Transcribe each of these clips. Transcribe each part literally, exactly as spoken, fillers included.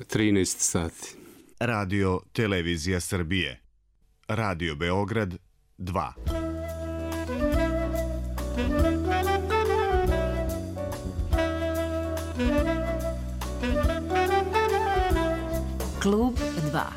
trinaest sati. Radio Televizija Srbije. Radio Beograd dva. Klub dva.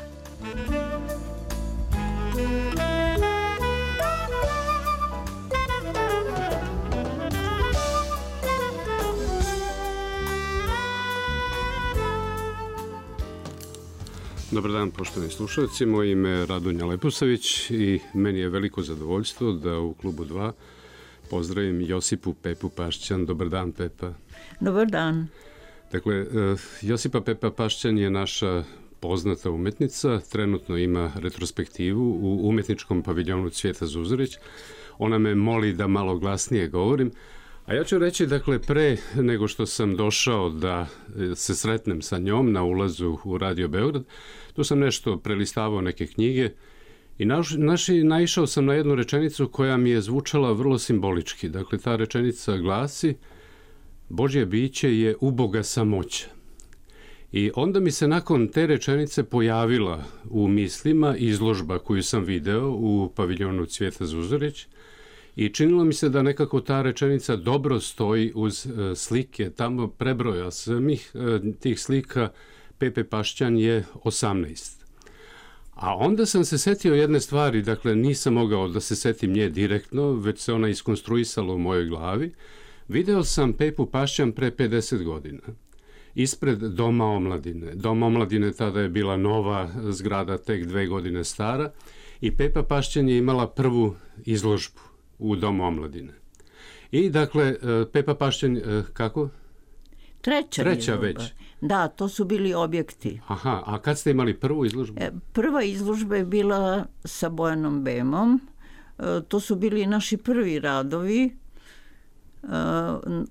Dobar dan, poštovani slušalci. Moje ime je Radonja Leposavić i meni je veliko zadovoljstvo da u Klubu dva pozdravim Josipu Pepu Pašćan. Dobar dan, Pepa. Dobar dan. Dakle, Josipa Pepa Pašćan je naša poznata umetnica. Trenutno ima retrospektivu u umetničkom paviljonu Cvijeta Zuzorić. Ona me moli da malo glasnije govorim. A ja ću reći, dakle, pre nego što sam došao da se sretnem sa njom na ulazu u Radio Beograd, tu sam nešto prelistavao neke knjige i naš, naši, naišao sam na jednu rečenicu koja mi je zvučala vrlo simbolički. Dakle, ta rečenica glasi: Božje biće je uboga samoća. I onda mi se nakon te rečenice pojavila u mislima izložba koju sam video u paviljonu Cvijeta Zuzorić. I činilo mi se da nekako ta rečenica dobro stoji uz e, slike. Tamo prebroja samih e, tih slika Pepe Pašćan je osamnaest. A onda sam se setio jedne stvari, dakle nisam mogao da se setim nje direktno, već se ona iskonstruisala u mojoj glavi. Video sam Pepu Pašćan pre pedeset godina. Ispred Doma omladine. Dom omladine tada je bila nova zgrada, tek dve godine stara. I Pepa Pašćan je imala prvu izložbu u Domu omladine. I dakle, Pepa Pašćan, kako? Treća, Treća izložba. Već. Da, to su bili objekti. Aha, a kad ste imali prvu izložbu? Prva izložba je bila sa Bojanom Bemom. To su bili naši prvi radovi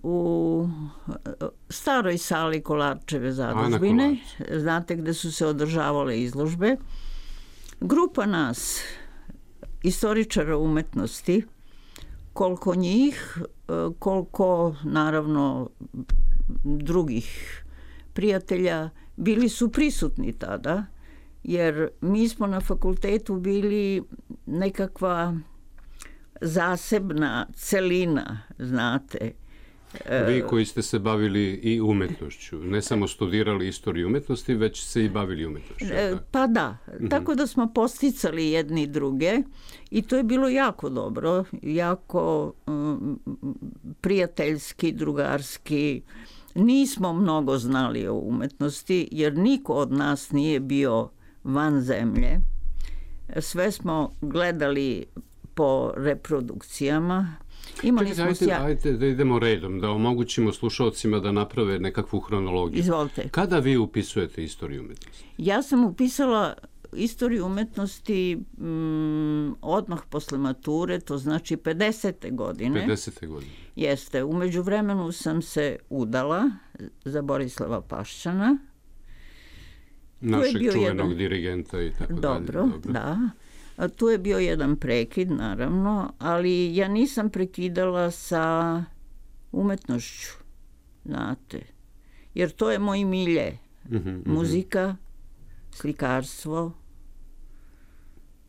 u staroj sali Kolarčeve zadužbine. Znate gde su se održavale izložbe. Grupa nas, istoričara umetnosti, koliko njih, koliko naravno drugih prijatelja, bili su prisutni tada, jer mi smo na fakultetu bili nekakva zasebna celina, znate. Vi koji ste se bavili i umetnošću, ne samo studirali istoriju umetnosti, već se i bavili umetnošću. Pa da, tako da smo posticali jedni druge i to je bilo jako dobro, jako um, prijateljski, drugarski. Nismo mnogo znali o umetnosti, jer niko od nas nije bio van zemlje. Sve smo gledali po reprodukcijama. Imali smo ajde, sja... ajde da idemo redom, da omogućimo slušalcima da naprave nekakvu hronologiju. Izvolite. Kada vi upisujete istoriju umetnosti? Ja sam upisala istoriju umetnosti mm, odmah posle mature, to znači pedesete godine. pedesete godine. Jeste. U međuvremenu sam se udala za Borislava Pašćana. Našeg čuvenog jedan... dirigenta i tako Dobro, dalje. Dobro, da. A tu je bio jedan prekid, naravno, ali ja nisam prekidala sa umetnošću, znate. Jer to je moj milje. Mm-hmm, Muzika, slikarstvo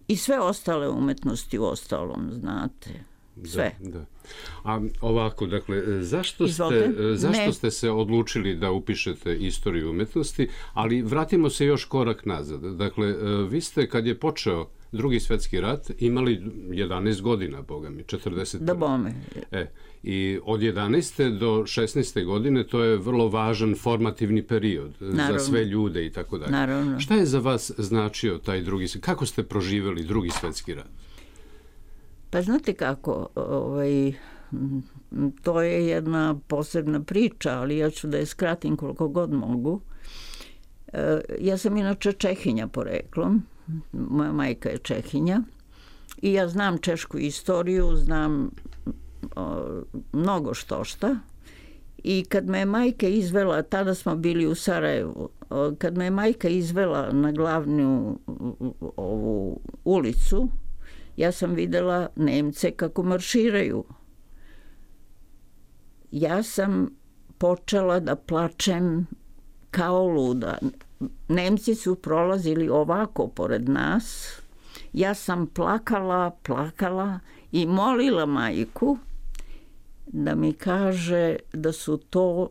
i sve ostale umetnosti u ostalom, znate. Sve. Da, da. A ovako, dakle, zašto, ste, zašto ste se odlučili da upišete istoriju umetnosti, ali vratimo se još korak nazad. Dakle, vi ste, kad je počeo Drugi svetski rat, imali jedanaest godina, boga mi, četrdeset. Da bome. E, i od jedanaeste do šesnaeste godine to je vrlo važan formativni period. Naravno. Za sve ljude i tako dalje. Naravno. Šta je za vas značio taj drugi, kako ste proživjeli Drugi svetski rat? Pa znate kako, ovaj, to je jedna posebna priča, ali ja ću da je skratim koliko god mogu. Ja sam inače Čehinja poreklom, moja majka je Čehinja i ja znam češku istoriju, znam o, mnogo što šta. I kad me je majka izvela, tada smo bili u Sarajevu, o, kad me je majka izvela na glavnu ovu ulicu, ja sam videla Nemce kako marširaju. Ja sam počela da plačem kao luda. Nemci su prolazili ovako pored nas. Ja sam plakala, plakala i molila majku da mi kaže da su to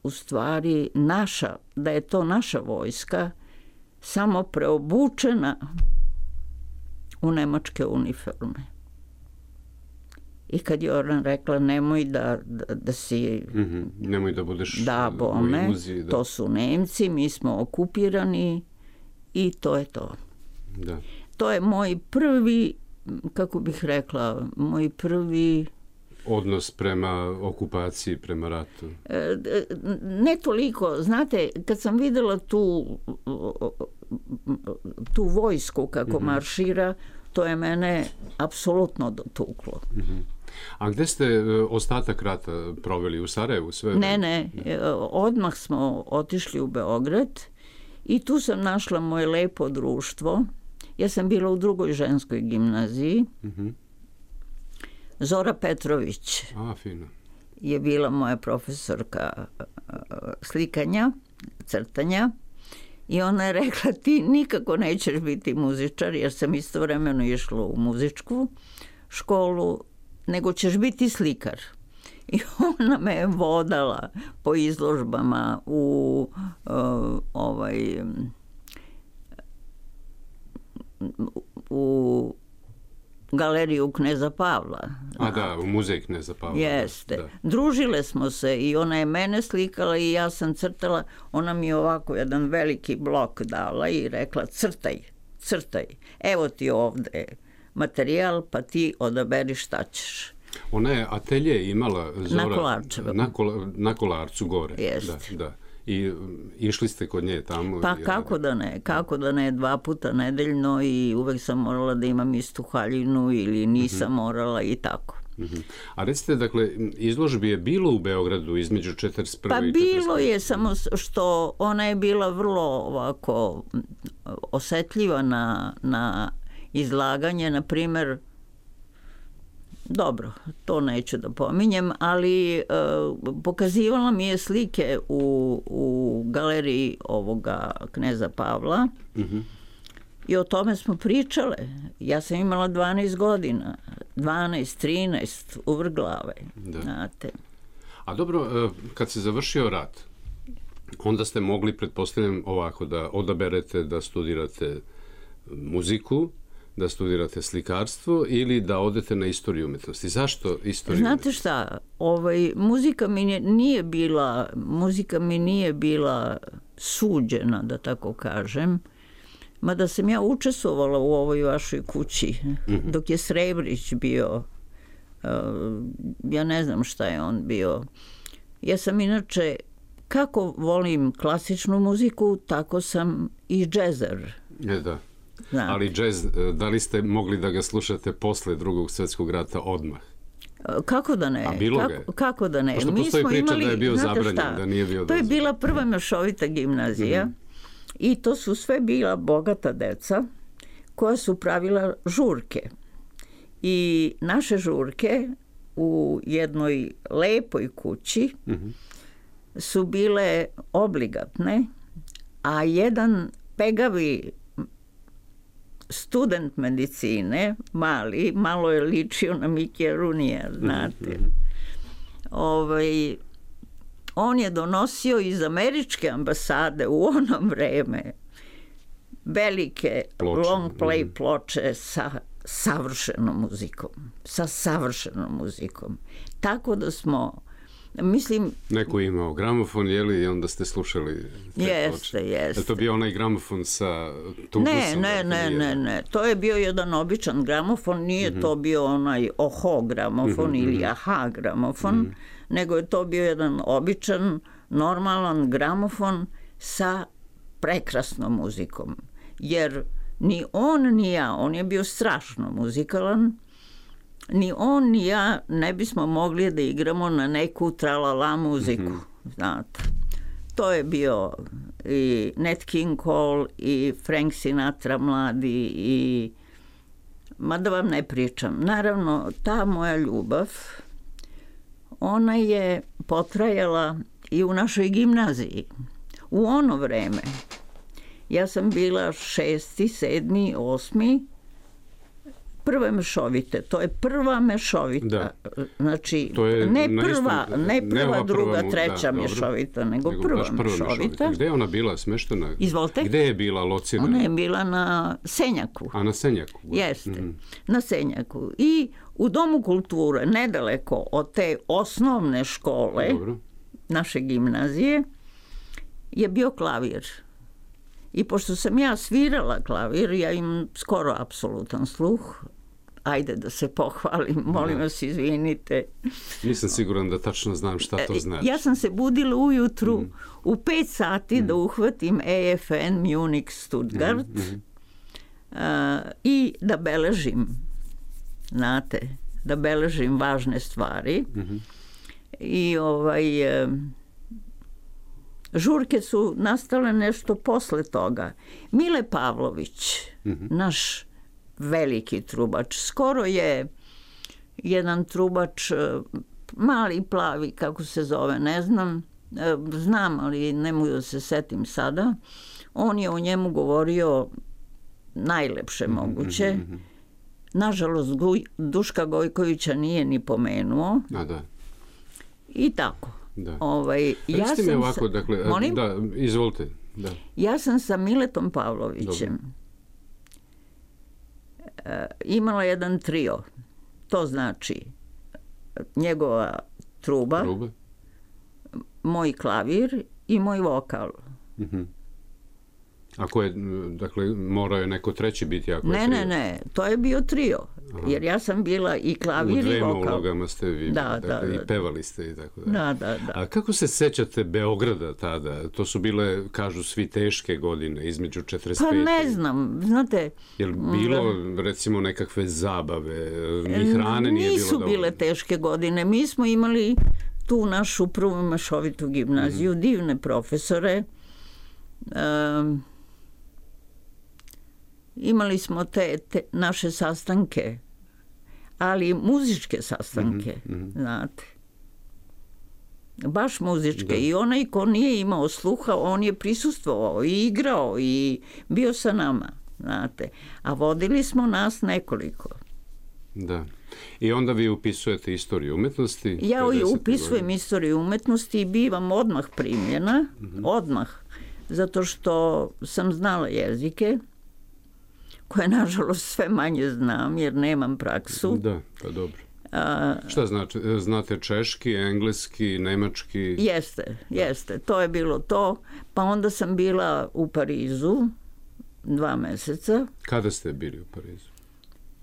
u stvari naša, da je to naša vojska, samo preobučena u nemačke uniforme. I kad je ona rekla nemoj da, da, da si... Mm-hmm. Nemoj da budeš da, bome, u iluziji. Da. To su Nemci, mi smo okupirani i to je to. Da. To je moj prvi, kako bih rekla, moj prvi... odnos prema okupaciji, prema ratu? Ne toliko. Znate, kad sam videla tu, tu vojsku kako mm-hmm. maršira, to je mene apsolutno dotuklo. Mm-hmm. A gde ste ostatak rata proveli? U Sarajevu? Sve? Ne, ne. Odmah smo otišli u Beograd i tu sam našla moje lepo društvo. Ja sam bila u drugoj ženskoj gimnaziji. Mm-hmm. Zora Petrović A, fino. je bila moja profesorka slikanja, crtanja i ona je rekla ti nikako nećeš biti muzičar jer sam istovremeno išla u muzičku školu, nego ćeš biti slikar. I ona me je vodala po izložbama u uh, ovaj u galeriju Kneza Pavla. A da, u muzej Kneza Pavla. Jeste. Da. Družile smo se i ona je mene slikala i ja sam crtala. Ona mi je ovako jedan veliki blok dala i rekla crtaj, crtaj. Evo ti ovde materijal pa ti odaberi šta ćeš. Ona je atelje imala Zora, na Kolarčevom. Na, kol, na Kolarcu gore. Jeste. Da, da. I išli ste kod nje tamo? Pa kako da ne, kako da ne, dva puta nedeljno i uvek sam morala da imam istu haljinu ili nisam mm-hmm. morala i tako. Mm-hmm. A recite, dakle, izložbi je bilo u Beogradu između četrdeset prve pa i četrdeset pete bilo je, samo što ona je bila vrlo ovako osetljiva na, na izlaganje, na primer. Dobro, to neću da pominjem, ali uh, pokazivala mi je slike u, u galeriji ovoga Kneza Pavla mm-hmm. i o tome smo pričale. Ja sam imala dvanaest godina, dvanaest, trinaest, uvrglave, da. Znate. A dobro, kad se završio rat, onda ste mogli, pretpostavljam, ovako da odaberete da studirate muziku, da studirate slikarstvo ili da odete na istoriju umetnosti. Zašto istoriju Znate umetnosti? šta, ovaj, muzika mi nije bila, muzika mi nije bila suđena, da tako kažem, mada sam ja učestvovala u ovoj vašoj kući, mm-hmm. dok je Srebrić bio, uh, ja ne znam šta je on bio. Ja sam inače, kako volim klasičnu muziku, tako sam i džezer. Je, da. Znate. Ali džez, da li ste mogli da ga slušate posle drugog svjetskog rata odmah? Kako da ne? A bilo ga kako, kako da ne? Pošto Mi postoji smo priča imali, da je bio zabranjen, šta? da nije bio To je dozvoljen. bila prva mešovita gimnazija mm-hmm. i to su sve bila bogata deca koja su pravila žurke. I naše žurke u jednoj lepoj kući mm-hmm. su bile obligatne, a jedan pegavi student medicine, mali, malo je ličio na Mikija Runija, znate. Mm-hmm. Ovaj, on je donosio iz američke ambasade u ono vreme velike ploče. Long play mm-hmm. ploče sa savršenom muzikom. Sa savršenom muzikom. Tako da smo, mislim... Neko je imao gramofon, jeli, i onda ste slušali te jeste, ploče. Jeste, Je to bio onaj gramofon sa tubusom? Ne, ne, ne, ne, ne. To je bio jedan običan gramofon, nije mm-hmm. to bio onaj oho gramofon mm-hmm. ili aha gramofon, mm-hmm. nego je to bio jedan običan, normalan gramofon sa prekrasnom muzikom. Jer ni on ni ja, on je bio strašno muzikalan, ni on ni ja ne bismo mogli da igramo na neku tralala muziku, mm-hmm. znate. To je bio i Nat King Cole i Frank Sinatra mladi i ma da vam ne pričam. Naravno, ta moja ljubav, ona je potrajala i u našoj gimnaziji. U ono vreme Ja sam bila šesti, sedmi, osmi, prve mešovite. To je prva mešovita. Da. Znači, je ne prva, istom, ne prva, ne druga, prva, treća da, mešovita, nego, nego prva, prva mešovita. mešovita. Gde je ona bila smeštena? Izvolite. Gde je bila locirana? Ona je bila na Senjaku. A na Senjaku? Jeste, mm-hmm. na Senjaku. I u Domu kulture, nedaleko od te osnovne škole, Dobro. naše gimnazije, je bio klavir. I pošto sam ja svirala klavir, ja imam skoro apsolutan sluh. Ajde da se pohvalim, molim vas, izvinite. Nisam siguran da tačno znam šta to znači. Ja sam se budila ujutru mm. u pet sati mm. da uhvatim E F N Munich Stuttgart mm. uh, i da beležim, znate, da beležim važne stvari. Mm-hmm. I ovaj... Uh, žurke su nastale nešto posle toga. Mile Pavlović, mm-hmm. naš veliki trubač, skoro je jedan trubač, mali plavi, kako se zove, ne znam, znam, ali ne mogu da se setim sada. On je o njemu govorio najlepše moguće. Mm-hmm. Nažalost, Duška Gojkovića nije ni pomenuo. A da. I tako. Da. Ovaj, ja Recite mi ovako, sa, dakle, molim? da, izvolite. Da. Ja sam sa Miletom Pavlovićem uh, imala jedan trio. To znači njegova truba, Truba. moj klavir i moj vokal. Uh-huh. Ako je, dakle, morao je neko treći biti ako ne, je trio? Ne, ne, to je bio trio. Aha. Jer ja sam bila i klavir i vokal. U dvema ulogama ste vi, da, dakle, da, i da. pevali ste i tako da. Da, da, da. A kako se sećate Beograda tada? To su bile, kažu svi, teške godine, između četrdeset pete. Pa ne znam, znate... Je li bilo, recimo, nekakve zabave, ni hrane nije bilo Nisu dovoljno? bile teške godine. Mi smo imali tu našu prvu mešovitu gimnaziju, mm-hmm. divne profesore. Um, imali smo te, te naše sastanke, ali muzičke sastanke, mm-hmm. znate. Baš muzičke. Da. I onaj ko nije imao sluha, on je prisustvovao i igrao i bio sa nama, znate. A vodili smo nas nekoliko. Da. I onda vi upisujete istoriju umetnosti? Ja upisujem godina. Istoriju umetnosti i bivam odmah primljena, mm-hmm. odmah, zato što sam znala jezike, koje nažalost sve manje znam jer nemam praksu. Da, pa dobro. A, šta znači? Znate češki, engleski, nemački? Jeste, jeste. To je bilo to. Pa onda sam bila u Parizu dva meseca. Kada ste bili u Parizu?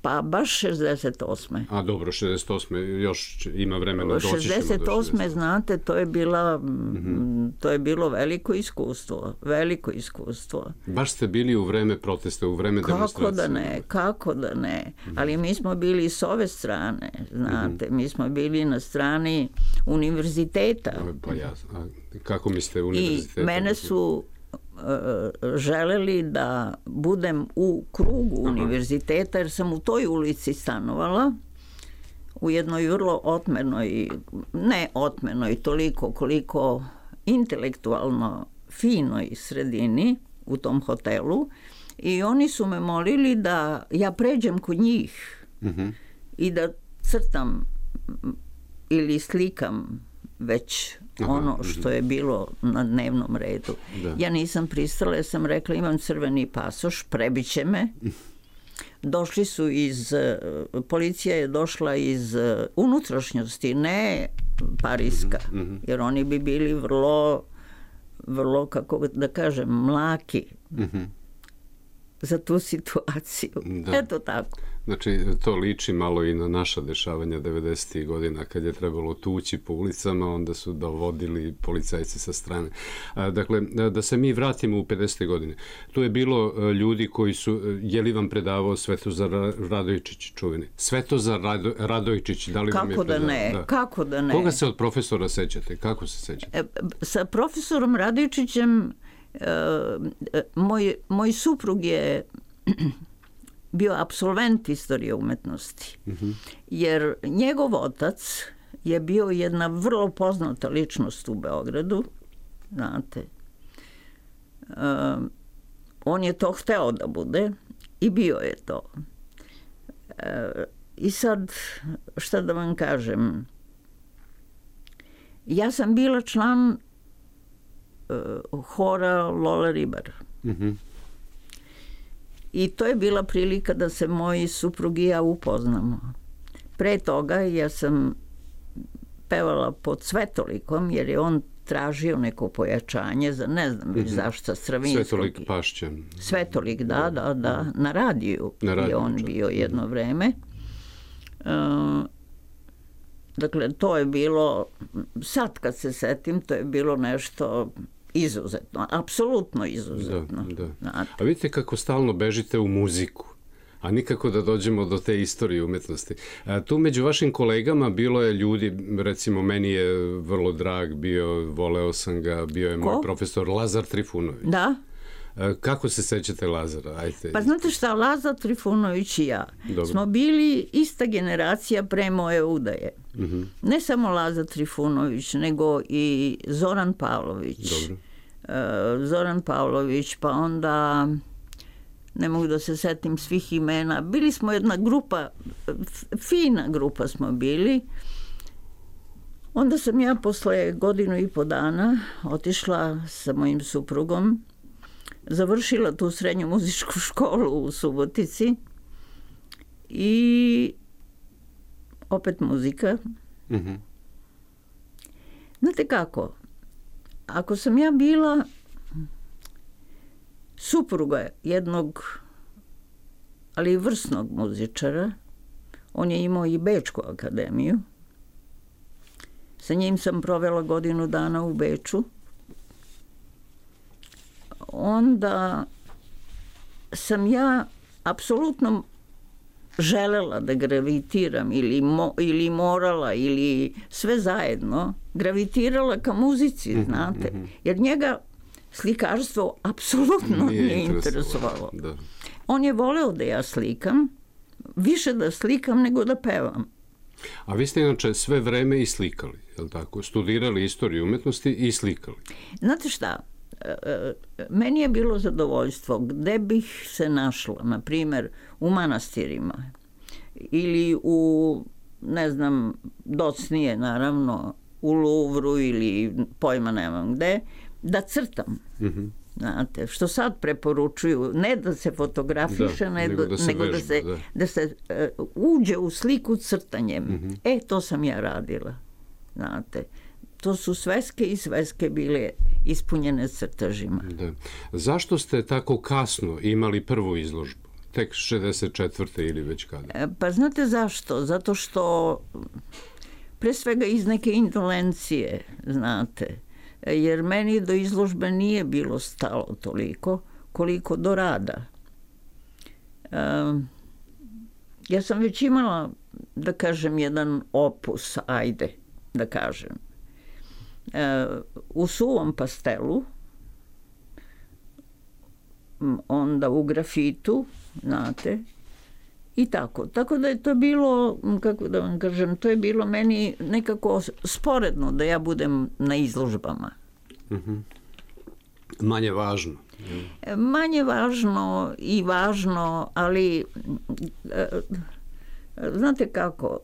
Pa baš šezdeset osme. A dobro, šezdeset osme još ima vremena doći ćemo do šezdeset osme, znate, to je bila mm-hmm. to je bilo veliko iskustvo, veliko iskustvo. Baš ste bili u vreme protesta, u vreme kako demonstracije? Kako da ne, kako da ne. Mm-hmm. Ali mi smo bili s ove strane, znate, mm-hmm. mi smo bili na strani univerziteta. Pa ja, a kako mislite univerziteta? I mene su želeli da budem u krugu Aha. univerziteta, jer sam u toj ulici stanovala, u jednoj vrlo otmenoj, ne otmenoj toliko koliko intelektualno finoj sredini u tom hotelu, i oni su me molili da ja pređem kod njih uh-huh. i da crtam ili slikam već Aha, ono što je bilo na dnevnom redu. Da. Ja nisam pristala, ja sam rekla imam crveni pasoš, prebiće me. Došli su iz, policija je došla iz unutrašnjosti, ne pariska, mm-hmm. jer oni bi bili vrlo, vrlo, kako da kažem, mlaki mm-hmm. za tu situaciju. Da. Eto tako. Znači, to liči malo i na naša dešavanja devedesetih godina, kad je trebalo tući po ulicama, onda su dovodili policajci sa strane. A, dakle, da se mi vratimo u pedesete godine. Tu je bilo ljudi koji su, je li vam predavao Svetozar Radojčić čuveni? Svetozar Rado, Radojčić, da li kako vam je da predavao? Ne, da. Kako da ne? Koga se od profesora sećate? Kako se sećate? E, sa profesorom Radojčićem e, moj, moj suprug je bio apsolvent istorije umetnosti. Mm-hmm. Jer njegov otac je bio jedna vrlo poznata ličnost u Beogradu. Znate. Um, on je to hteo da bude i bio je to. E, I sad, šta da vam kažem, ja sam bila član uh, hora Lola Ribar. Mm-hmm. I to je bila prilika da se moji suprug i ja upoznamo. Pre toga ja sam pevala pod Svetolikom, jer je on tražio neko pojačanje za ne znam mm-hmm. zašto Stravinskog. Svetolik Pašćan. Svetolik, da, da, da. Na radiju, na radiju je on čak. Bio jedno mm-hmm. vreme. Uh, dakle, to je bilo, sad kad se setim, to je bilo nešto izuzetno, apsolutno izuzetno. Da, da. A vidite kako stalno bežite u muziku, a nikako da dođemo do te istorije umetnosti. A tu među vašim kolegama bilo je ljudi, recimo meni je vrlo drag bio, voleo sam ga, bio je Ko? moj profesor Lazar Trifunović. Da. Kako se sećate Lazara? Ajde. Pa znate šta, Lazar Trifunović i ja Dobro. Smo bili ista generacija pre moje udaje. Mm-hmm. Ne samo Lazar Trifunović, nego i Zoran Pavlović. Dobro. Uh, Zoran Pavlović, pa onda ne mogu da se setim svih imena. Bili smo jedna grupa, fina grupa smo bili. Onda sam ja posle godinu i po dana otišla sa mojim suprugom, završila tu srednju muzičku školu u Subotici i opet muzika. Mm-hmm. Znate kako, ako sam ja bila supruga jednog, ali i vrsnog muzičara, on je imao i Bečku akademiju, sa njim sam provela godinu dana u Beču, onda sam ja apsolutno želela da gravitiram ili, mo, ili morala ili sve zajedno gravitirala ka muzici, mm-hmm, znate. Mm-hmm. Jer njega slikarstvo apsolutno nije, nije interesovalo. Da. On je voleo da ja slikam, više da slikam nego da pevam. A vi ste inače sve vreme i slikali, je li tako? Studirali istoriju umetnosti i slikali. Znate šta? Meni je bilo zadovoljstvo gde bih se našla, na primjer u manastirima ili u, ne znam, docnije naravno, u Luvru ili pojma nemam gde, da crtam. Mm-hmm. Znate, što sad preporučuju, ne da se fotografiše, da, nego, da se, nego vežba, da se, da. Da se uh, uđe u sliku crtanjem. Mm-hmm. E, to sam ja radila. Znate, to su sveske i sveske bile ispunjene crtežima. Da. Zašto ste tako kasno imali prvu izložbu? Tek šezdeset četvrte ili već kada? E, pa znate zašto? Zato što pre svega iz neke indolencije, znate, jer meni do izložbe nije bilo stalo toliko koliko do rada. E, ja sam već imala, da kažem, jedan opus, ajde, da kažem. E, u suvom pastelu, onda u grafitu, znate, i tako. Tako da je to bilo, kako da vam kažem, to je bilo meni nekako sporedno da ja budem na izložbama. Mm-hmm. Manje važno. E, manje važno i važno, ali e, znate kako,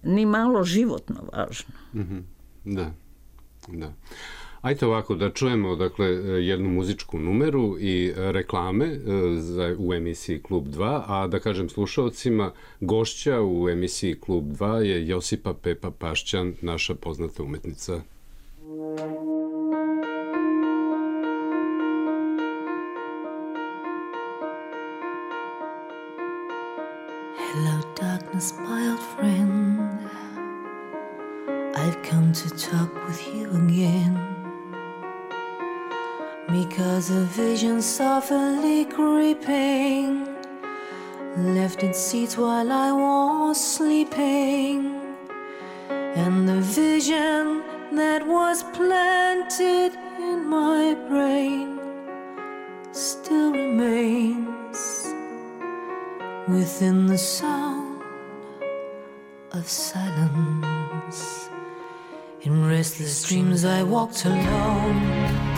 ni malo životno važno. Mm-hmm. Da, da. Ajde ovako, da čujemo dakle, jednu muzičku numeru i reklame za, u emisiji Klub dva, a da kažem slušalcima, gošća u emisiji Klub dva je Josipa Pepa Pašćan, naša poznata umetnica. Hello darkness, my old friend, I've come to talk with you again, because a vision softly creeping left its seats while I was sleeping, and the vision that was planted in my brain still remains within the sound of silence. In restless dreams I walked alone,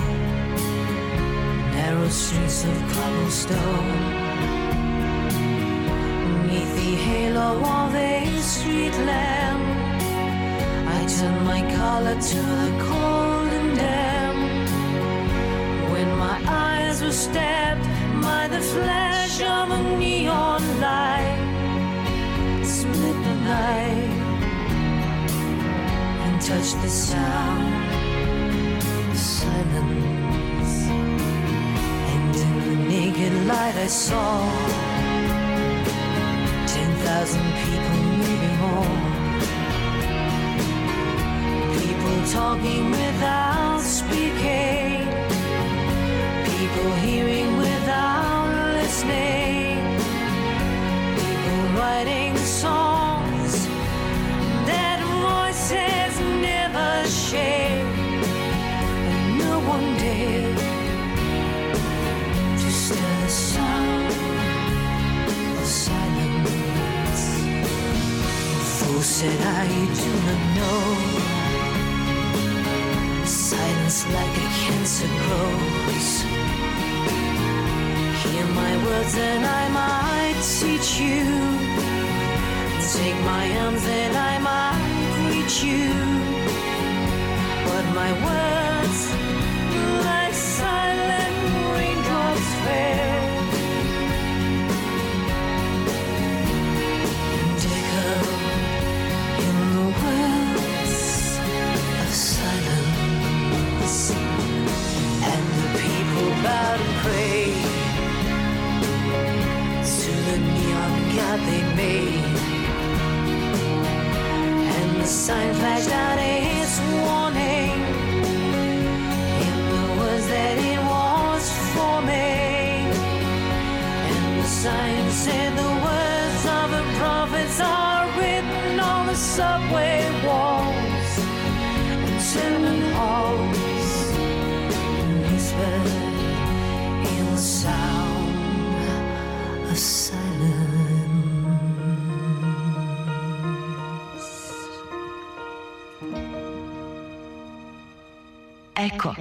narrow streets of cobblestone. Beneath the halo of a street lamp, I turned my collar to the cold and damp. When my eyes were stabbed by the flash of a neon light, split the night and touched the sound of silence. And in the naked light I saw ten thousand people, maybe more. People talking without speaking, people hearing without listening, people writing songs that voices never shared, and no one dared to stir the sound of silence. The fool said, I do not know. Silence like a cancer grows. Hear my words and I might teach you. Take my arms and I might reach you. But my words, like silent raindrops fell, and echo in the wells of silence. And the people bowed and prayed to the neon god they made. And the sign flashed out its warning in the words that it was forming. And the sign said the words of the prophets are written on the subway walls and tenement halls, and whispered in the sound of silence. Eko.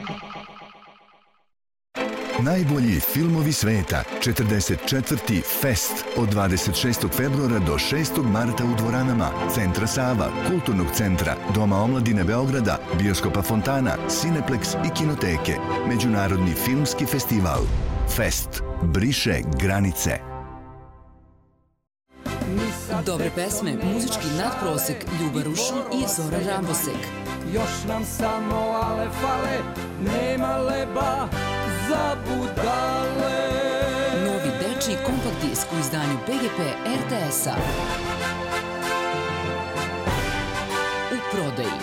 Najbolji filmovi sveta, četrdeset četvrti Fest od dvadeset šestog februara do šestog marta u dvoranama Centra Sava, Kulturnog centra, Doma omladine Beograda, Bioskopa Fontana, Cineplex i Kinoteke. Međunarodni filmski festival. Fest briše granice. Dobre pesme, muzički nadprosek, Ljuba Rušon i Zoran Rambosek. Još nam samo ale fale, nema leba za budale. Novi dečiji kompakt disk u izdanju B G P R T S-a. U prodaji.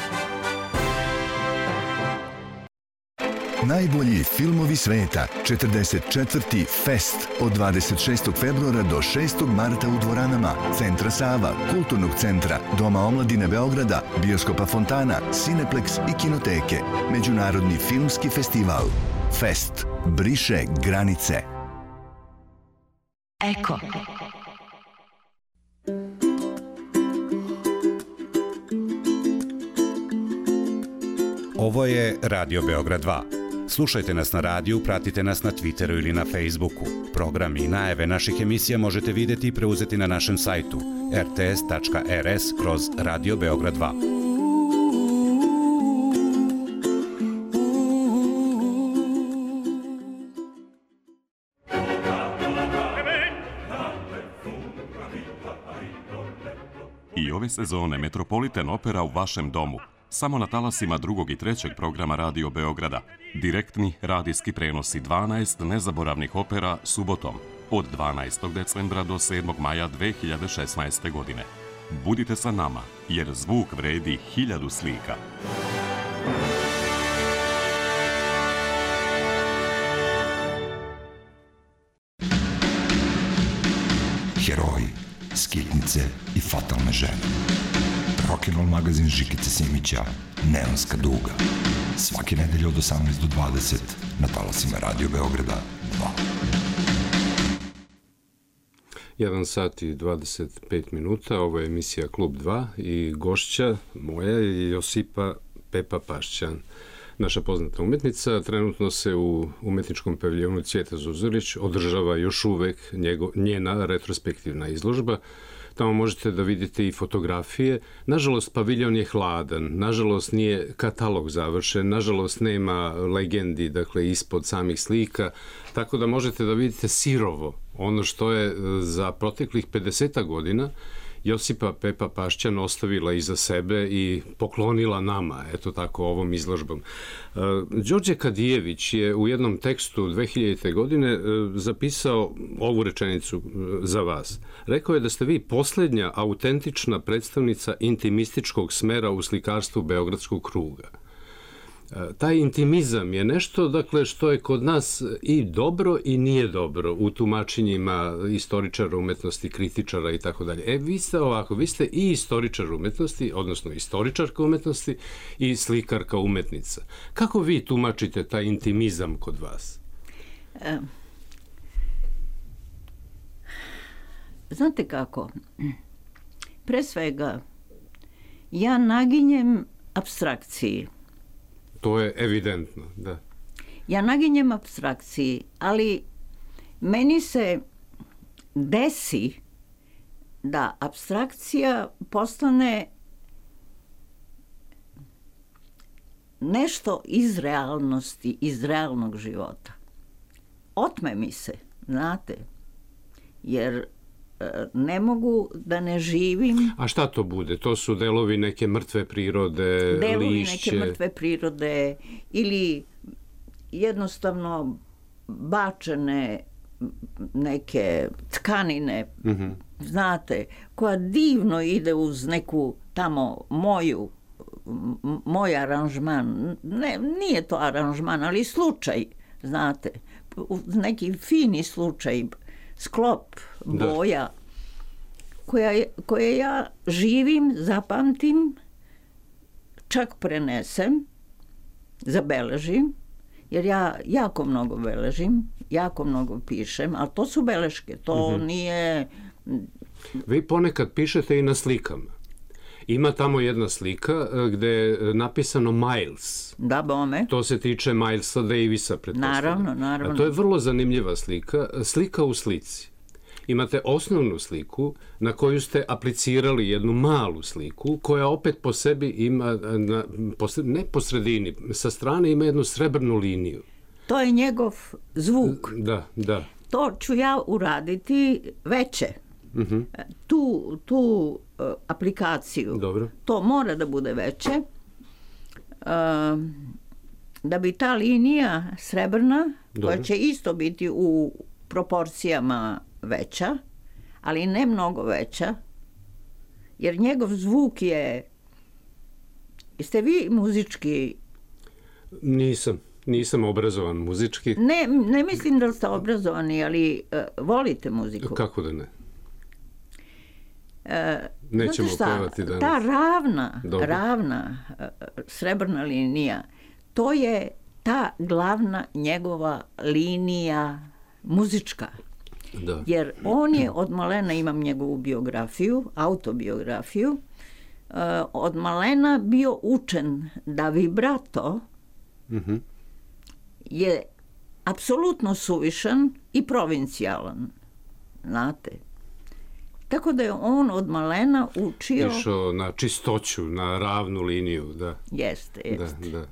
Najbolji filmovi sveta, četrdeset četvrti Fest od dvadeset šestog februara do šestog marta u dvoranama Centra Sava, Kulturnog centra, Doma omladine Beograda, Bioskopa Fontana, Cineplex i Kinoteke. Međunarodni filmski festival. Fest briše granice. Eko. Ovo je Radio Beograd dva. Slušajte nas na radiju, pratite nas na Twitteru ili na Facebooku. Programi i najave naših emisija možete vidjeti i preuzeti na našem sajtu r t s tačka r s kroz Radio Beograd dva. I ove sezone Metropolitan Opera u vašem domu. Samo na talasima drugog i trećeg programa Radio Beograda. Direktni radijski prenosi dvanaest nezaboravnih opera subotom od dvanaestog decembra do sedmog maja dve hiljade šesnaeste. godine. Budite sa nama, jer zvuk vredi hiljadu slika. Heroji, skitnice i fatalne žene. Rock'n'roll magazin Žikice Simića, Neonska duga. Svake nedelje od osamnaest do dvadeset na talasima Radio Beograda dva. jedan sat i dvadeset pet minuta, ovo je emisija Klub dva i gošća moja je Josipa Pepa Pašćan. naša poznata umetnica. Trenutno se u umetničkom paviljonu Cvijeta Zuzorić održava još uvek njego, njena retrospektivna izložba. Tamo možete da vidite i fotografije. Nažalost, paviljon je hladan, nažalost nije katalog završen, nažalost nema legendi, dakle, ispod samih slika, tako da možete da vidite sirovo ono što je za proteklih pedeset godina Josipa Pepa Pašćan ostavila iza sebe i poklonila nama, eto tako, ovom izložbom. Đorđe Kadijević je u jednom tekstu dve hiljadite. godine zapisao ovu rečenicu za vas. Rekao je da ste vi poslednja autentična predstavnica intimističkog smera u slikarstvu Beogradskog kruga. Taj intimizam je nešto, dakle, što je kod nas i dobro i nije dobro u tumačenjima istoričara umetnosti, kritičara i tako dalje. E, vi ste ovako, vi ste i istoričar umetnosti, odnosno istoričarka umetnosti i slikarka umetnica. Kako vi tumačite taj intimizam kod vas? E, znate kako? Pre svega, ja naginjem apstrakciji. To je evidentno, da. Ja naginjem apstrakciji, ali meni se desi da apstrakcija postane nešto iz realnosti, iz realnog života. Otme mi se, znate, jer ne mogu da ne živim. A šta to bude? To su delovi neke mrtve prirode, delovi lišće? Delovi neke mrtve prirode ili jednostavno bačene neke tkanine, mm-hmm. znate, koja divno ide uz neku tamo moju, moj aranžman. Ne, nije to aranžman, ali slučaj, znate, neki fini slučaj, sklop boja, da. koja, koje ja živim, zapamtim, čak prenesem, zabeležim, jer ja jako mnogo beležim, jako mnogo pišem, ali to su beleške, to mm-hmm. nije... Vi ponekad pišete i na slikama. Ima tamo jedna slika gde je napisano Miles. Da, bome. To se tiče Milesa Davisa, pretpostavljam. Naravno, naravno. A to je vrlo zanimljiva slika. Slika u slici. Imate osnovnu sliku na koju ste aplicirali jednu malu sliku koja opet po sebi ima, na, po, ne po sredini, sa strane ima jednu srebrnu liniju. To je njegov zvuk. Da, da. To ću ja uraditi veće. Mm-hmm. Tu, tu uh, aplikaciju. Dobro. To mora da bude veće. Uh, da bi ta linija srebrna, Dobro. koja će isto biti u proporcijama veća, ali ne mnogo veća, jer njegov zvuk je... Jeste vi muzički? Nisam. Nisam obrazovan muzički. Ne, ne mislim da ste obrazovani, ali uh, volite muziku. Kako da ne? Uh, Nećemo pevati danas. Ta ravna, Dobro. ravna uh, srebrna linija, to je ta glavna njegova linija muzička. Da. Jer on je od malena, imam njegovu biografiju, autobiografiju, uh, od malena bio učen da vibrato mm-hmm. je apsolutno suvišan i provincijalan. Znate? Tako da je on od malena učio... Išao na čistoću, na ravnu liniju, da. Jeste, jeste. Da, da.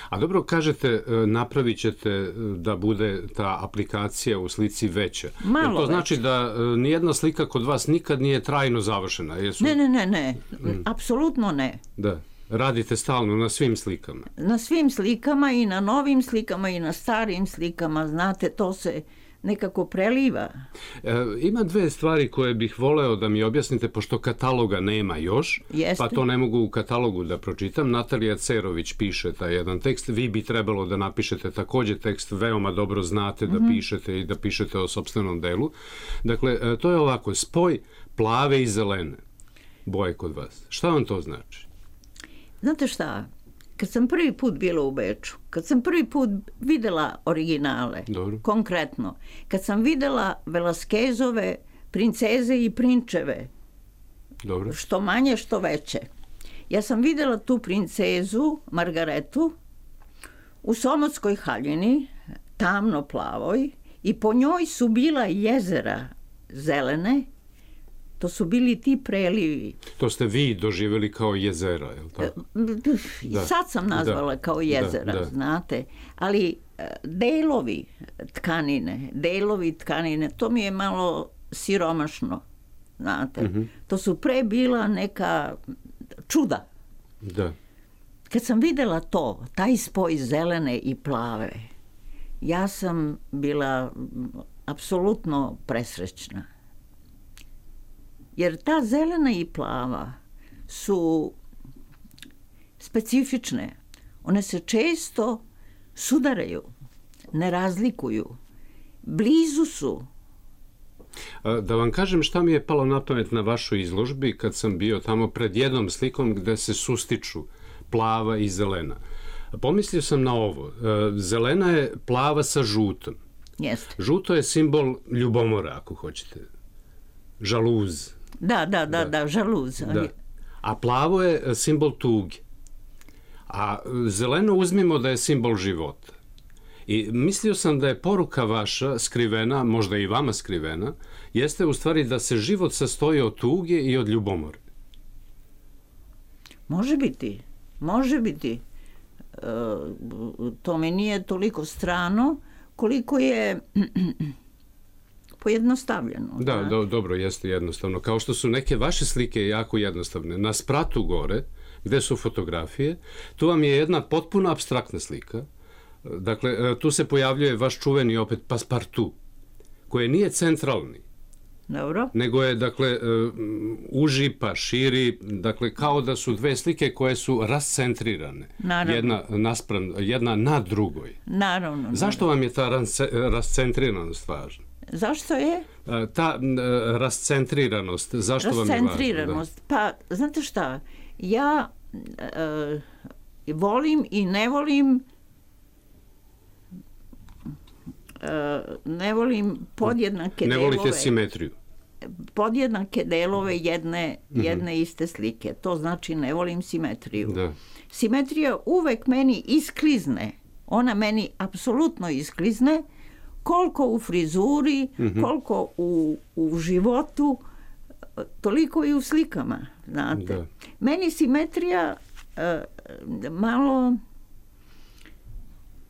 A dobro, kažete, napravit ćete da bude ta aplikacija u slici veća. Malo Jer to znači veća. da nijedna slika kod vas nikad nije trajno završena? Jesu... Ne, ne, ne, ne. Mm. Apsolutno ne. Da. Radite stalno na svim slikama? Na svim slikama i na novim slikama i na starim slikama. Znate, to se nekako preliva. E, ima dve stvari koje bih voleo da mi objasnite, pošto kataloga nema još, Jeste. pa to ne mogu u katalogu da pročitam. Natalija Cerović piše taj jedan tekst. Vi bi trebalo da napišete takođe tekst, veoma dobro znate da mm-hmm. pišete i da pišete o sopstvenom delu. Dakle, to je ovako, spoj plave i zelene boje kod vas. Šta vam to znači? Znate šta? Kad sam prvi put bila u Beču, kad sam prvi put videla originale, Dobro. konkretno, kad sam videla Velasquezove princeze i prinčeve, Dobro. što manje, što veće, ja sam videla tu princezu, Margaretu, u Somotskoj haljini, tamno plavoj, i po njoj su bila jezera zelene, to su bili ti prelivi. To ste vi doživjeli kao jezera, je li tako? Da. Sad sam nazvala da. kao jezera, da, da. znate, ali delovi tkanine, delovi tkanine, to mi je malo siromašno, znate. Mm-hmm. To su pre bila neka čuda. Da. Kad sam videla to, taj spoj zelene i plave, ja sam bila apsolutno presrećna. Jer ta zelena i plava su specifične. One se često sudaraju, ne razlikuju. Blizu su. Da vam kažem šta mi je palo na pamet na vašoj izložbi kad sam bio tamo pred jednom slikom gde se sustiču plava i zelena. Pomislio sam na ovo. Zelena je plava sa žutom. Jeste. Žuto je simbol ljubomora, ako hoćete. Žaluz. Da, da, da, da, da žaluz. Da. A plavo je simbol tuge. A zeleno uzmimo da je simbol života. I mislio sam da je poruka vaša skrivena, možda i vama skrivena, jeste u stvari da se život sastoji od tuge i od ljubomore. Može biti. Može biti. E, to mi nije toliko strano koliko je pojednostavljeno. Da, do, dobro, jeste jednostavno. Kao što su neke vaše slike jako jednostavne. Na spratu gore, gde su fotografije, tu vam je jedna potpuno apstraktna slika. Dakle, tu se pojavljuje vaš čuveni opet paspartu, koji nije centralni. Dobro. Nego je, dakle, uži pa širi, dakle, kao da su dve slike koje su rascentrirane. Naravno. Jedna, naspram, jedna na drugoj. Naravno. Zašto naravno. vam je ta rascentriranost važna? Zašto je? Ta rascentriranost, zašto vam je važna? Rascentriranost, pa, znate šta, ja e, volim i ne volim e, ne volim podjednake ne delove. Ne volite simetriju? Podjednake delove jedne, mm-hmm. jedne iste slike. To znači ne volim simetriju. Da. Simetrija uvek meni isklizne. Ona meni apsolutno isklizne, koliko u frizuri, mm-hmm. koliko u, u životu, toliko i u slikama, znate. Da. Meni simetrija uh, malo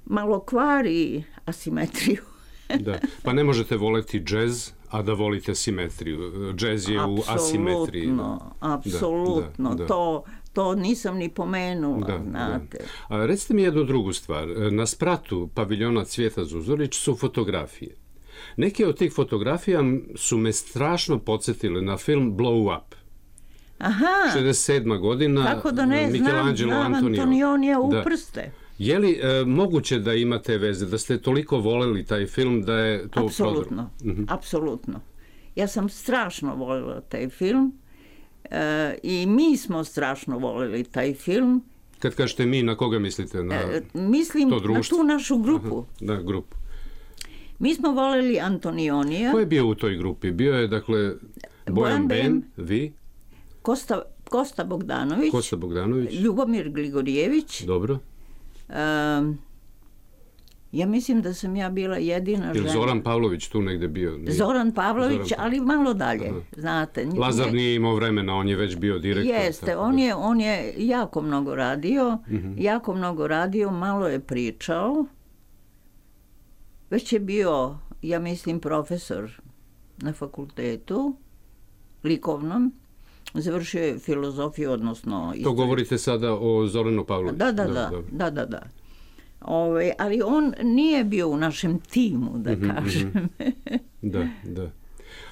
malo kvari asimetriju. Da. Pa ne možete voleti džez, a da volite simetriju. Džez je u asimetriji. Apsolutno, apsolutno. Da, da, da. To, to nisam ni pomenula, da, znate. Da. A recite mi jednu drugu stvar. Na spratu paviljona Cvijeta Zuzorić su fotografije. Neke od tih fotografija su me strašno podsjetile na film Blow Up. Aha. šezdeset sedma godina. Kako da ne znam, znam Antonionija u da. prste. Je li e, moguće da imate veze, da ste toliko voleli taj film da je to... Apsolutno, mm-hmm. apsolutno. Ja sam strašno voljela taj film e, i mi smo strašno voljeli taj film. Kad kažete mi, na koga mislite? Na e, mislim to na tu našu grupu. Aha, na grupu. Mi smo voljeli Antonionija. Ko je bio u toj grupi? Bio je, dakle, Bojan Ben, vi? Kosta, Kosta Bogdanović. Kosta Bogdanović. Ljubomir Gligorijević. Dobro. Um, ja mislim da sam ja bila jedina žena. Ili Zoran Pavlović tu negde bio? Nije? Zoran Pavlović, Zoran... ali malo dalje, aha. znate. Lazar nije imao vremena, on je već bio direktor. Jeste, on je, on je jako mnogo radio, mm-hmm. jako mnogo radio, malo je pričao. Već je bio, ja mislim, profesor na fakultetu, likovnom. Završio je filozofiju, odnosno... To govorite sada o Zoranu Pavloviću? Da, da, da, da, da, da, da. Ove, ali on nije bio u našem timu, da mm-hmm, kažem. Mm-hmm. Da, da.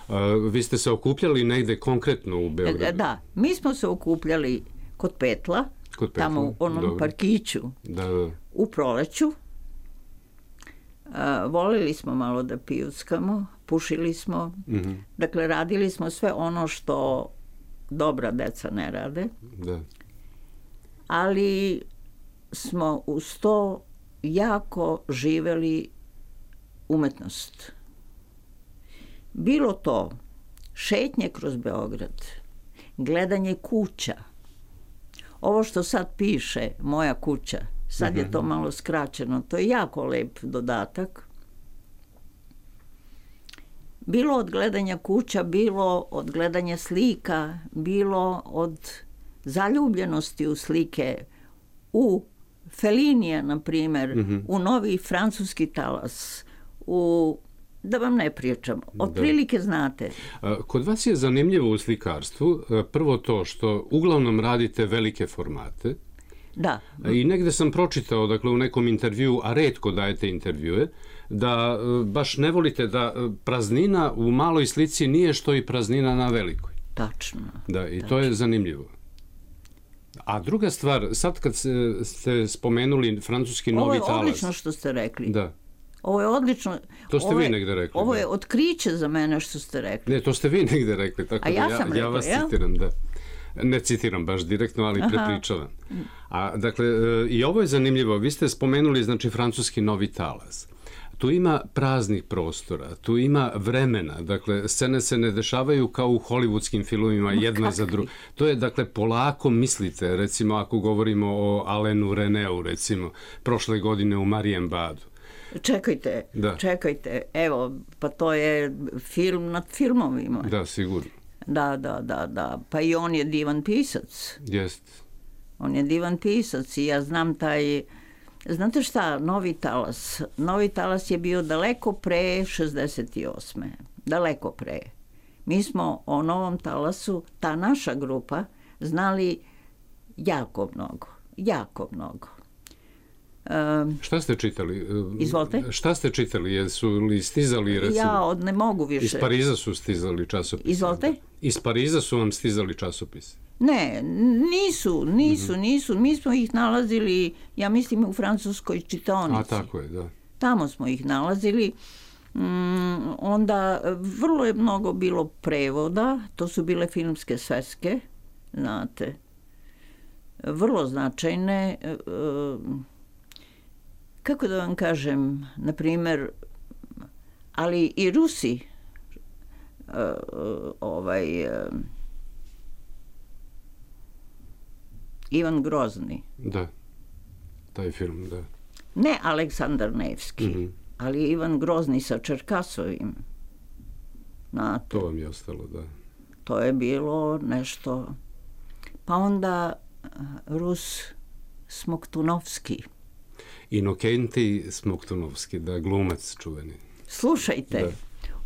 A, vi ste se okupljali negde konkretno u Beogradu? Da, mi smo se okupljali kod Petla, kod Petla. Tamo u onom dobro. Parkiću, da, da. U proleću. A, volili smo malo da pijuckamo, pušili smo, mm-hmm. dakle, radili smo sve ono što dobra deca ne rade. Da. Ali smo uz to jako živeli umetnost. Bilo to šetnje kroz Beograd, gledanje kuća. Ovo što sad piše, moja kuća, Sad Mhm. je to malo skraćeno. To je jako lep dodatak. Bilo od gledanja kuća, bilo od gledanja slika, bilo od zaljubljenosti u slike, u Felinija, na primjer, Mhm. u novi francuski talas, u, da vam ne pričam, otprilike znate. A, Kod vas je zanimljivo u slikarstvu a, prvo to što uglavnom radite velike formate. Da. I negde sam pročitao, dakle, u nekom intervju, a retko dajete intervjue, da e, baš ne volite da e, praznina u maloj slici nije što i praznina na velikoj. Tačno. Da, i to je zanimljivo. A druga stvar, sad kad se- ste spomenuli francuski Ovo novi je talas. odlično što ste rekli. Da. Ovo je odlično. To ste Ovo vi je- negde rekli, Ovo da. je otkriće za mene što ste rekli. Ne, to ste vi negde rekli, tako A da ja ja, sam ja rekla, vas jel? citiram, da. Ne citiram baš direktno, ali Aha. prepričavam. A, dakle, e, i ovo je zanimljivo. Vi ste spomenuli, znači, francuski novi talas. Tu ima praznih prostora, tu ima vremena, dakle, scene se ne dešavaju kao u hollywoodskim filmovima jedna za drugu. To je, dakle, polako mislite, recimo, ako govorimo o Alenu Reneu, recimo, prošle godine u Marienbadu. Čekajte, Da. čekajte. Evo, pa to je film nad filmovima. Da, sigurno. Da, da, da, da. Pa i on je divan pisac. Jest. On je divan pisac i ja znam taj... Znate šta, Novi talas? Novi talas je bio daleko pre šezdeset osme. Daleko pre. Mi smo o Novom talasu, ta naša grupa, znali jako mnogo. Jako mnogo. Um, Šta ste čitali? E, Izvolite. Šta ste čitali? Jesu li stizali, recimo? ja od ne mogu više. Iz Pariza su stizali časopisi. Izvolite? Iz Pariza su vam stizali časopisi. Ne, nisu, nisu, nisu. Mi smo ih nalazili, ja mislim, u francuskoj čitaonici. A tako je, da. Tamo smo ih nalazili. Mm, onda vrlo je mnogo bilo prevoda, to su bile filmske sveske, znate, vrlo značajne. e, Kako da vam kažem, na primjer, ali i Rusi, e, ovaj, e, Ivan Grozni, Da. Taj film, da. ne Aleksandar Nevski, Mhm. ali Ivan Grozni sa Čerkasovim. Znate, To vam je ostalo, da. to je bilo nešto. Pa onda eh, Rus Smoktunovski. Inokenti Smoktunovski, da, glumac čuveni. Slušajte, Da.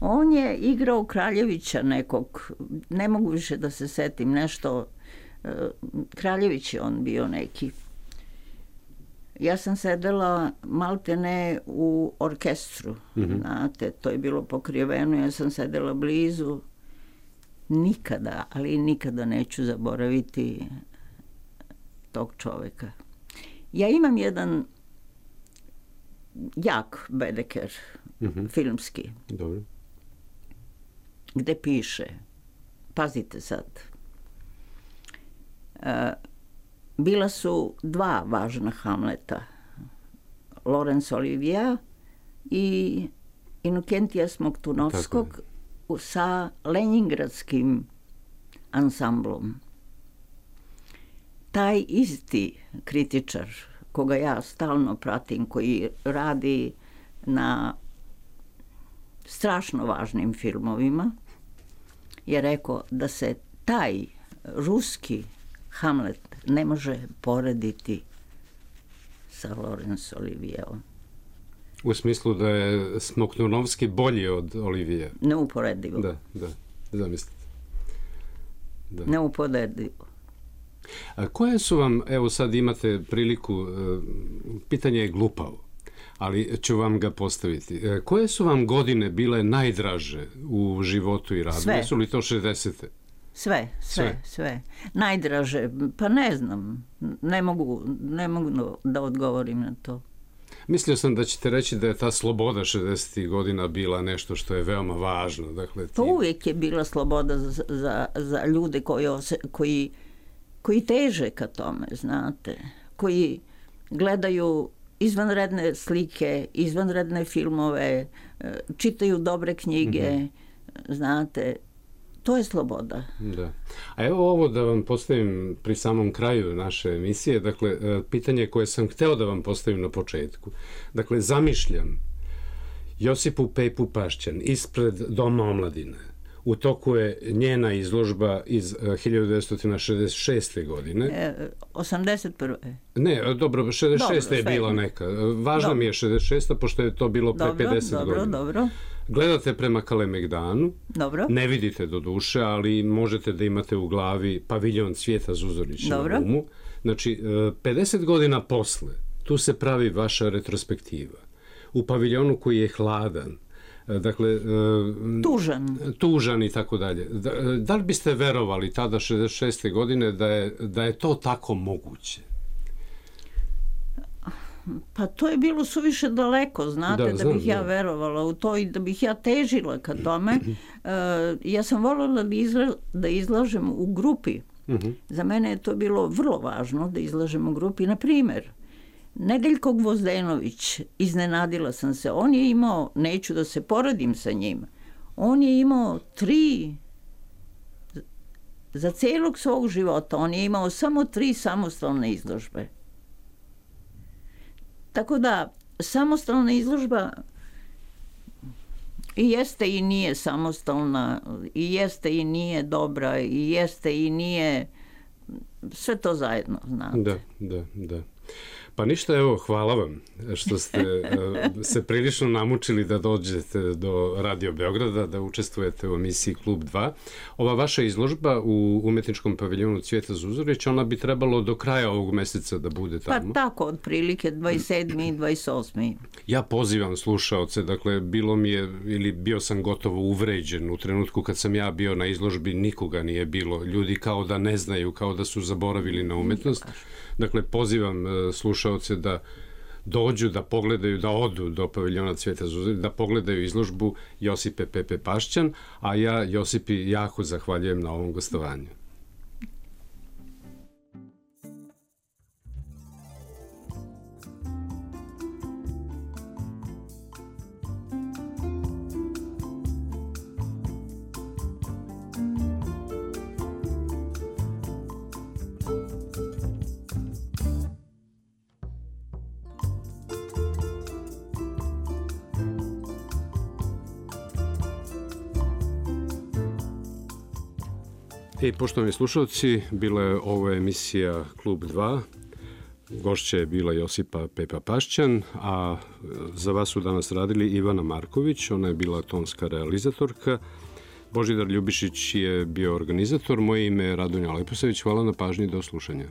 on je igrao Kraljevića nekog, ne mogu više da se setim, nešto, eh, Kraljević je on bio neki. Ja sam sedela maltene u orkestru, Mhm. znate, to je bilo pokriveno, ja sam sedela blizu. Nikada, ali nikada neću zaboraviti tog čoveka. Ja imam jedan jak bedeker, Mhm. filmski, Dobro. gde piše, pazite sad, e, bila su dva važna Hamleta, Laurence Olivier i Inokentija Smoktunovskog u- sa Leningradskim ansamblom. Taj isti kritičar, koga ja stalno pratim, koji radi na strašno važnim filmovima, je rekao da se taj ruski Hamlet ne može porediti sa Laurence Olivierom. U smislu da je Smoktunovski bolji od Olivije. Neuporedivo. Da, da, zamislite. Da. Neuporedivo. A koje su vam, evo sad imate priliku, e, pitanje je glupavo, ali ću vam ga postaviti. E, Koje su vam godine bile najdraže u životu i radu? Sve. Jesu li to šezdesete? Sve, sve, Sve. sve. Najdraže, pa ne znam, ne mogu, ne mogu da odgovorim na to. Mislio sam da ćete reći da je ta sloboda šezdesetih godina bila nešto što je veoma važno. Dakle, To ti- uvijek je bila sloboda za, za, za ljude koji, ose, koji, koji teže ka tome, znate, koji gledaju izvanredne slike, izvanredne filmove, e, čitaju dobre knjige, znate. to je sloboda. Da. A evo ovo da vam postavim pri samom kraju naše emisije, dakle, pitanje koje sam hteo da vam postavim na početku. Dakle, zamišljam Josipu Pepu Pašćan ispred Doma omladine. U toku je njena izložba iz hiljadu devetsto šezdeset šeste. godine. E, osamdeset prve. Ne, dobro, šezdeset šesta. je bila neka. Važna mi je šezdeset šesta. pošto je to bilo pre dobro, pedeset dobro, godina. Dobro. Gledate prema Kalemegdanu, dobro. Ne vidite do duše, ali možete da imate u glavi paviljon Cvijeta Zuzorića na umu. Znači, pedeset godina posle, tu se pravi vaša retrospektiva. U paviljonu koji je hladan, dakle, tužan. tužan i tako dalje. Da, da li biste verovali tada šezdeset šeste. godine da je, da je to tako moguće? Pa to je bilo suviše daleko, znate, da, da znam, bih ja da. verovala u to i da bih ja težila ka tome. Uh, ja sam voljela da, izla, da izlažem u grupi. Uh-huh. Za mene je to bilo vrlo važno da izlažem u grupi. Na primjer, Nedeljko Gvozdenović, iznenadila sam se, on je imao, neću da se poredim sa njim, on je imao tri, za celog svog života, on je imao samo tri samostalne izložbe. Tako da, samostalna izložba i jeste i nije samostalna, i jeste i nije dobra, i jeste i nije, sve to zajedno, znate. Da, da, da. Pa ništa, evo, hvala vam što ste se prilično namučili da dođete do Radio Beograda, da učestvujete u emisiji Klub dva. Ova vaša izložba u umetničkom paviljonu Cvijeta Zuzorića, ona bi trebalo do kraja ovog meseca da bude tamo. Pa tako, otprilike dvadeset sedmi i dvadeset osmi Ja pozivam slušaoce, dakle, bilo mi je, ili bio sam gotovo uvređen u trenutku kad sam ja bio na izložbi, nikoga nije bilo. Ljudi kao da ne znaju, kao da su zaboravili na umetnost. Dakle, pozivam slušaoce da dođu, da pogledaju, da odu do paviljona Cvijeta Zuzorića, da pogledaju izložbu Josipe Pepe Pašćan, a ja Josipi jako zahvaljujem na ovom gostovanju. I poštovani slušalci, bila je ovo emisija Klub dva. Gošća je bila Josipa Pepa Pašćan, a za vas su danas radili Ivana Marković, ona je bila tonska realizatorka. Božidar Ljubišić je bio organizator, moje ime je Radonja Leposavić. Hvala na pažnji, do slušanja.